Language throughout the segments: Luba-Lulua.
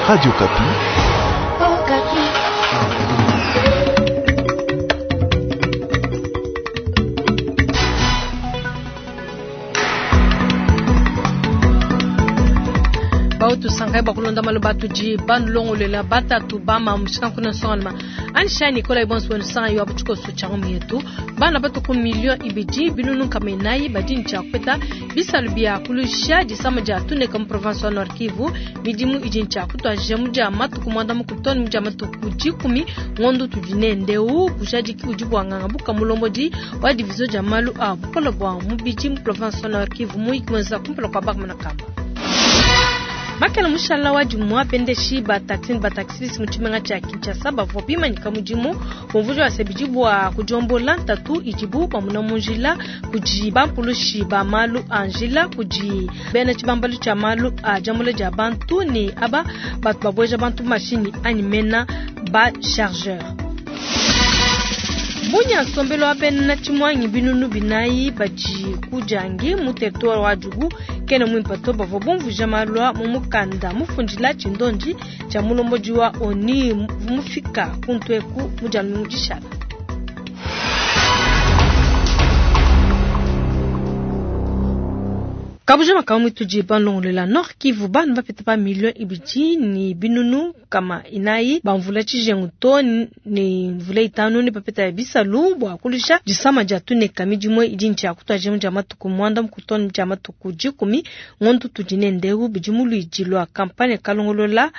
Radio Okapi. Bautusangai bakulonda maloba tudi banulongolela batatu bama mushikanku nsongaluma anisha nikola ibonso wenu sanga yo abuchikoso cha yetu bana batu ku million ibidi binunu nkama inayi badi ntshia kupeta bisalu bia kulusha disama dia tuneka mu province wa Nord Kivu. Midimu idi ntshia kutuajija mu dia matuku mwanda mukulu to ne mu dia matuku dikumi ngondo tudi nendeu bujadiki udi buanganga buka mulombodi wa division dia malu a bukola bua mubidi mu province wa Nord Kivu muyiki mwenza kumpala kua bakamana kamba. Makela mushala wa dimua bendeshi ba taxi ne ba taxi mu tshimenga tshia Kinshasa bavua bimanyika mudimu bumvuija bua se bidi bua kudiombola ntatu idibu bamuna mu njila kudi bampulushi ba malu a njila kudi bena tshibambalu tshia malu a diambula dia bantu ne aba batu babueja bantu mu mashinyi anyi mena ba chargeur. Bunya nsombelu wa bena tshimuangi binunu binayi badi ku Djangi mu territoire wa Djugu kena muimpe to bavua bumvuija malu a mu mukanda mufundila tshindondi tshia mulombodi wa ONU mufika kuntu eku mu dia lumingu dishala. Kabujima kamwe tudi balongolola Nord Kivu bana bapeta pa million ibidi ne binunu kama inayi bamvula tshijengu to ne mvula itanu ne bapeta ya bisalu bua kulusha disama dia tuneka midimue idi ntshia kutuadija mu dia matuku mwanda mukulu to ne dia matuku dikumi ngondo tudi ne ndeu bidi mu luidi lua kampanye kalongolola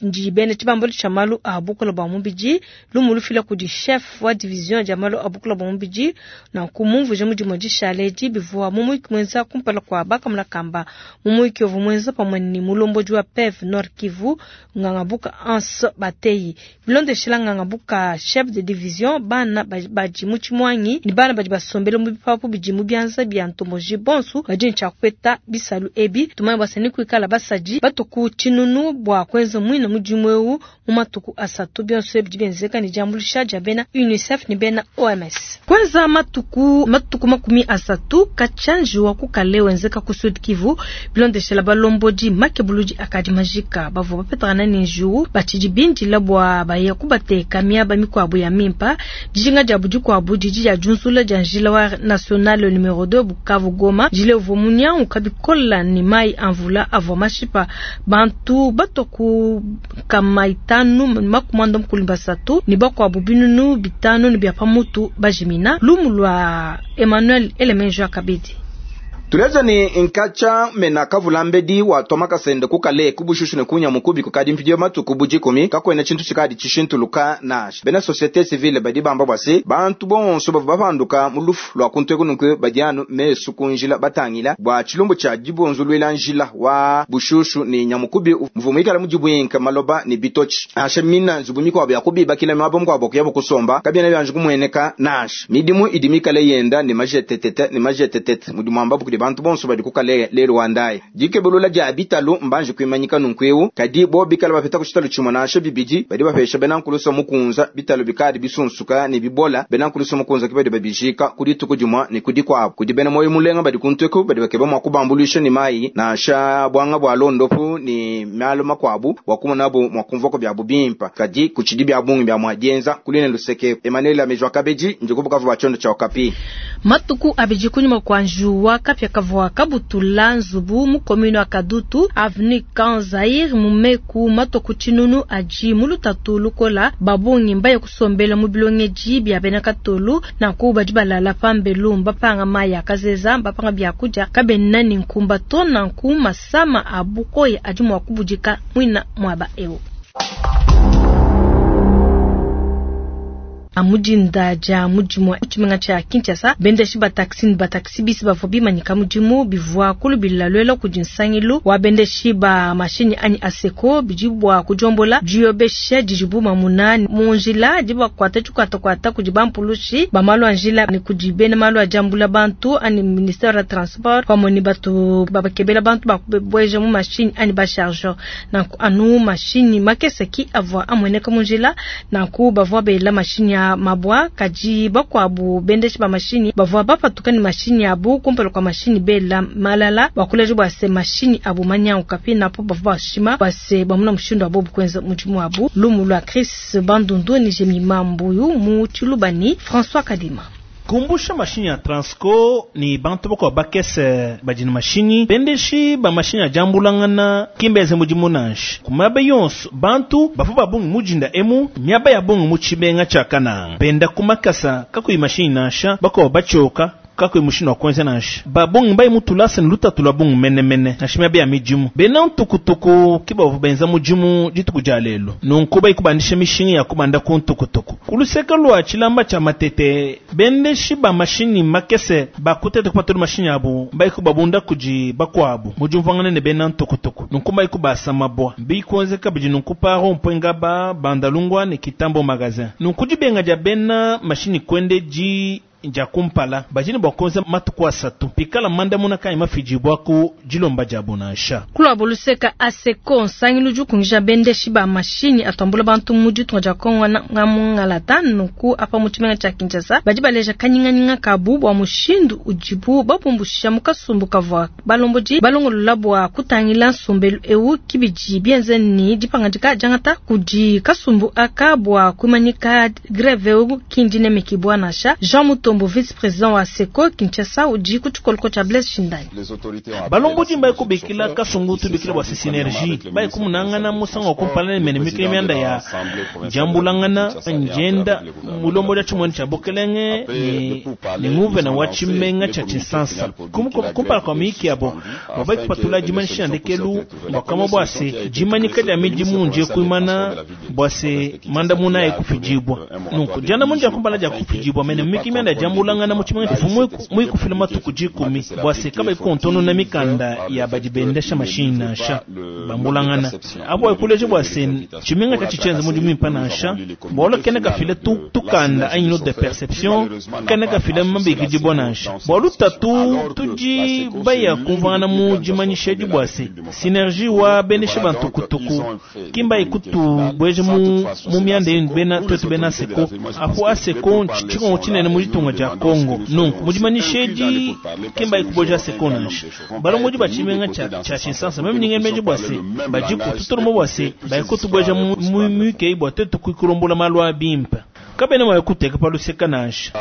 ndi bena tshibambalu tshia malu a bukola bua mubidi lumu lufila kudi chef wa division dia malu a bukola bua mubidi nanku mumvuija mudimu dishala edi bivua mu muyiki muenza kumpala kua bakamuna kamba mu muyiki uvua muenza pamue ne mulombodi wa PEV Nord Kivu Ngangabuka Hans Bateyi bilondeshela Ngangabuka chef de division bana badi mu tshimuangi ne bana badi basombele mu bipapu bidi mu bianza bia ntomboji bonso badi ne tshia kupeta bisalu ebi tumanye bua se ne kuikala basadi batuku tshinunu bua kuenza muine mudimu eu mu matuku asatu bionso bidi bienzeka ne diambuluisha dia bena UNICEF ne bena OMS. Kwanza matuku matuku 30 kachanji wa kukale wenzeka ku Sud Kivu bilondeshela balombodi makebuludi akadi majika bavua bapetangana ne njiwu batshidi bindila bua baye kubateka miaba mikuabu ya mimpa dijinga dia budi kuabu didi dia junzula dia njila wa national numero 2 Bukavu Goma jile uvua munyanguka bikola ne mai amvula avua mashipa bantu batoku kama itanu makumwanda mukulu basatu ne bakuabu binunu bitanu ne bia pamutu bajimina lumu lwa Emmanuel Elemenjo akabidi. Tuleja ni nkacha mena kavulambedi wa toma kasende kukale kubushushu ne kunya mukubi kukadi mpidio matuku bujikumi kakwena chintu chikadi chishintuluka nasha bena société civile badi bamba bwasi bantu bonso bava bapanduka mu lufu lwa kuntweku nukwe badianu mesu kunjila batangila bwa chilumbu cha jibonzulwila njila wa bushushu ni nyamukubi mvumikala mujibwinka maloba ni bitochi asha mina nzubu mikwabu yakubiba kila mwabo mkwabo kuyabo kusomba kabyana byanje kumweneka nasha midimu idimikale yenda ni majetetete ni majetetete mudimu ambapo kudi bantu bonso badi kukale lelo wandaye dikebulula dia bitalu mbanje kuimanyika nunkuewu kadi bo bikala bapeta kushitalu tshimue nansha bibidi badi bapesha bena nkulusa mukunza bitalu bikadi bisunsuka ne bibola bena nkulusa mukunza ke badi babijika kudi tuku dimua ne kudi kuabu kudi bena moyo mulenga badi kuntweku badi bakeba mua kubambuluisha ne mayi nansha bwanga bua londopu ne mialo makuabu bua kumonabu mua kumvuako biabu bimpa kadi kutshidi bia bungi bia mua dienza kuline luseke Emmanuel Amejwa Kabeji ndikubukavu bua tshiondo tshia Okapi. Matuku abidi kunyuma kwa njuwa kapya kavua kabutula nzubu mu commune wa Kadutu avenue Camp Zaire mu meku matoku tshinunu adi mu lutatu lukola babungi mbaya kusombela mu bilongeji bia bena katolu nanku badi balala pambelu mbapanga mayi akazeza mbapanga byakudia kabena ne nkumba to nanku masama a bukoya adi mua kubudika mwina mwaba eu. Amudinda dia mudimu tshimenga tshia Kinshasa bendeshi ba taxi ne ba taxi bisi bavua bimanyika mudimu bivua kulubila lwela kudi nsangilu wa bendeshi ba mashinyi anyi aseko bidi bua kudiombola diyobesha didibu mamuna mu njila dibakuata tshikuatakuata kudi bampulushi ba malu a njila ne kudi bena malu a diambula bantu anyi ministère ya transport pamue ne batu babakebela bantu bakubueja mu mashinyi anyi ba chargeur nanku anu mashinyi makese ki avua amueneka mu njila nanku bavua bela mashinyi babela mabua, kadi bakuabu bendeshi ba mashinyi bavua bapatuka ne mashinyi abu kumpala kua mashinyi bela malala bua kuleja bua se mashinyi abu manyanguka. Pinapo bavua bashima bua se bamuna mushindu wa bobu kuenza mudimu wabu. Lumu lua Chris Bandundu ne Jemima Mbuyu mu Tshiluba ne François Kadima. Kumbusha mashinyi a Transco ne bantu bakuabu bakese badi ne mashinyi, bendeshi ba mashinyi a diambulangana ki mbenze mudimu nansha. Ku miaba yonso bantu bavua ba bungi mu dinda emu, miaba ya bungi mu tshimenga tshia Kananga benda ku makasa kakuyi mashinyi nansha, bakuabu batshioka kakuyi mushindu wa kuenza nansha. Ba bungi mbaye mu tulasa ne lutatu lua bungi menemene, nansha miaba ya midimu. Bena ntukutuku ke bavua benza mudimu dituku dia lelu, nunku bayi kubandisha mishinga ya kubanda ku ntukutuku. Ku luseke lua tshilamba tshia matete, bendeshi ba mashinyi makese bakuteta kupatula mashinyi abu, mbayi kubabunda kudi bakuabu mu diumvuangana ne bena ntukutuku, nunku mbayi kubasa mabua. Mbi kuenzeka kabidi nunku pa rond-point Ngaba, Bandalungwa ne Kitambo Magasin. Nunku dibenga dia bena mashinyi kuendedi dia kumpala, badi ne bua kuenza matuku asatu pikala mandamuna kayi mafidibua ku dilomba diabu nansha. Kuluabo luseka ASECO, nsangilu udi ukungija bendeshi ba mashinyi atuambula bantu mu ditunga dia Congo nga mungalata nunku apa mu tshimenga tshia Kinshasa, badi baleja kanyinganyinga kabu bua mushindu udibu babumbusha mu kasumbu kavua balombodi balongolola bua kutangila nsombelu eu. Ki bidi bienze ne dipangadika diangata kudi kasumbu aka bua kuimanyika greve eu ki ndinemekibua nansha. Jean Mutombo, vice-president wa ASECO Kinshasa, udi ku tshikoloko tshia Blaise Shindani. Balombodi mbaye kubikila kasungu tubikila bua synergie, baye kumunangana musangu wa kumpala ne mene mikile mianda ya diambulangana njenda mulombodi wa tshimueni tshia bukelenge ne ne nguvena wa tshimenga tshia Tshinsansa. Kumpala kua miyiki yabo babaye kupatula dimanyisha dia ndekelu bua kama bua se dimanyika dia midimu ndie kuimana bua se mandamuna aye kufidibua. Nunku diandamuna dia kumpala dia kufidibua mene miki mianda ya diambulangana mu tshimenga uvua muikufila matuku dikumi bua se kabayi kontonona mikanda ya badi bendesha mashinyi nansha bambulangana. Abu ayi bua se tshimenga katshi tshienza mudimu mimpe nansha bualu kena kafila tukanda anyi note de perception kena kafila mabikidibua nansha. Bualu tatu tudi baya kumvuangana mu dimanyisha edi bua se synergie wa bendesha bantukutuku kimba ikutu bweje mu mu mianda yenu bena twetu bena ASECO apo ASECO tshikongo tshinene mu ditunga dia Congo. Nunku mu dimanyisha edi kimba ikuboja ASECO nansha. Balongodi ba tshimenga tshia tshia Tshinsansa meme ninga meji bua se badiku tutolomo bua se bayikutubueja mu muyuki bua twetu kuikulombola malu a bimpe kabena mua kuteka pa luseka nansha.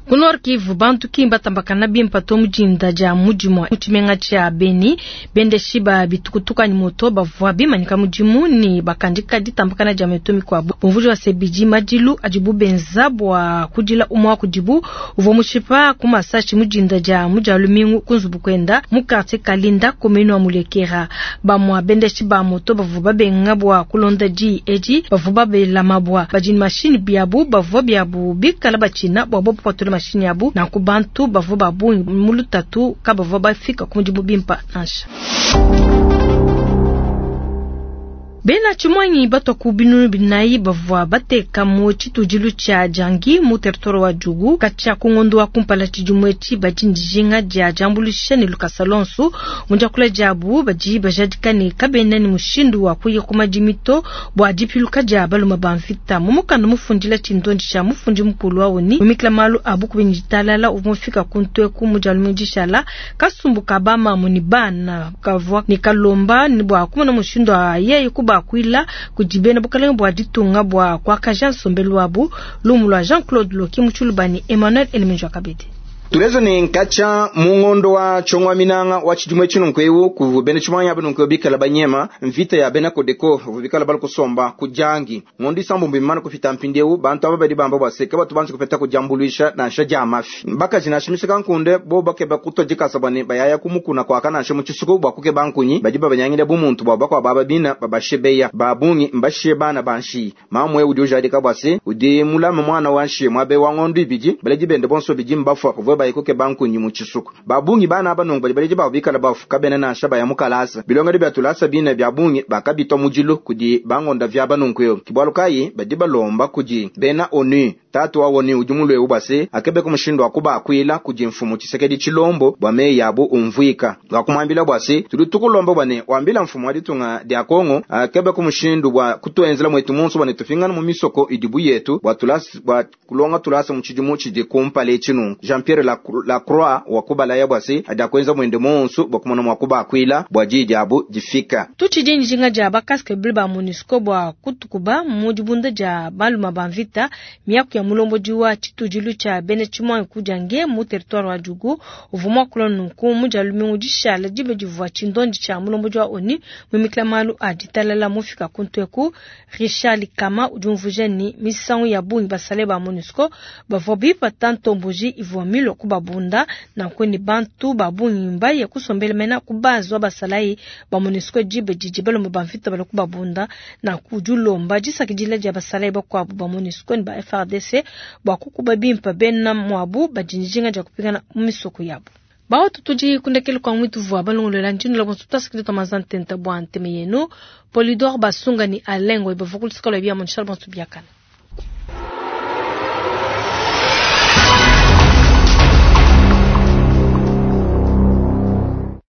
Ku Nord Kivu bantu ki batambakana bimpe to mu dinda dia mudimu mu tshimenga tshia Beni, bendeshi ba bitukutuku anyi moto bavua bimanyika mudimu ne bakandika ditambakana dia moto mikuabu. Bumvuji wa se bidi madilu adibu benza bua kudila umue wa kudibu uvua mushipa ku masashi mu dinda dia mu dia lumingu ku nzubu kuenda mu quartier Kalinda, commune wa Mulekera. Bamua bendeshi ba moto bavua babenga bua kulonda diyi edi, bavua babela mabua. Badi ne mashinyi biabu bavua biabu bikala batshina bua bobu kupatula mashinyi abu. Nanku bantu bavua ba bungi mu lutatu kabavua bafika ku mudimu bimpe nansha. Bena tshimuangi batua ku binunu binayi bavua bateka mu tshitudilu tshia Djangi mu territoire wa Djugu katshia ku ngondo wa kumpala tshidimu etshi badi ne dijinga dia diambuluisha ne lukasa luonso. Mu diakula diabu badi bajadika ne kabena ne mushindu wa kuya ku madimi to bua dipiluka dia balume ba mvita. Mu mukanda mufundila tshindondi tshia mufundi mukulu wa ONU mumikila malu a bukubi ne ditalala uvua mufika ku ntueku mu dia lumingu dishala, kasumbu ka bamamu ne bana kavua ne kalomba ne bua kumona mushindu wa yeye kubakuila kudi bena bukalenge bua ditunga bua kuakaja nsombelu wabu. Lumu lua Jean-Claude Loki mu Tshiluba ne Emmanuel Elemenjo Kabedi. Tulezo ne nkacha mu ngondo wa chongwa minanga wa tshidimwe tshinunku eu kuvu bena tshimanya banunku bikala banyema mvita ya bena Codeco vu bikala bali kusomba kujangi ngondo isambo mbimana kufita mpindiewu bantu aba badi bamba bua seka batu banji kupeta kujambuluisha nansha dia mafi bakaji nashimisha nkunde bo bakeba kutwa dikasa bwane bayaya kumukuna kwaka nansha mu tshisuku bua kukeba nkunyi badi babanyangila bumuntu bua bakwa baba bina babashebeya babungi mbashe bana banshi mamwe udi ujadika bua se udi mulama mwana wa nshi mwabe wa ngondo ibidi baledi bende bonso bidi mbafua kuvwe. baye kukeba nkunyi mu tshisuku. Ba bungi bana aba nunku badi baledi babu bikala bafu kabena nansha baya mu kalasa. Bilongedi bia tulasa bine bia bungi bakabitwa mudilu kudi bangonda viaba nunku eu. Ke bualu kayi badi balomba kudi bena ONU, tatu wa ONU udi mulue eu bua se akebeke mushindu wa kubakuila kudi mfumu Tshisekedi Tshilombo bua meyi abu umvuika. Wakumuambila bua se tudi tukulomba bua ne wambila mfumu wa ditunga dia Kongo akebeke mushindu bua kutuenzela mwetu monso bua ne tupingana mu misoko idi bu yetu bua tulasa, bua kulonga tulasa mu tshidimu tshidi kumpala etshi nunku. Jean-Pierre Lacroix wa kubalaya bua se adi akuenza mwende monso bua kumona mua kubakuila bua diyi diabu difika. Tutshidi njinga dia ba casque bleu ba MONUSCO bua kutukuba mu dibunda dia baluma ba mvita miaku ya mulombodi wa tshitudilu tshia bena tshimuangi kudiange mu territoire wa Djugu uvua muakula nunku mu dia lumingu dishala dibe divua tshindondi tshia mulombodi wa ONU muimikila malu a ditalala mufika kuntu eku. Richard Likama udi umvuija ni misangu ya bungi basale ba MONUSCO bavua bipata ntomboji ivua milua kubabunda nanku ni bantu ba bungi mbaye kusombela mena ku base wa basalayi ba MONUSCO dibe didi balomba ba mvita balua kubabunda nanku udi ulomba disakidila dia basalayi bakuabu ba MONUSCO ne ba FARDC bua kukuba bimpe bena muabu badi ne dijinga dia kupingana mu misoko yabu. Baotu tudi kundekele kwa mwitu vua balongolola ndino la bonso tasakidi twamazantenta bua nteme yenu Polydor Basunga ni Alengo ibavua kulusika lwa bia monshal bonso biakana.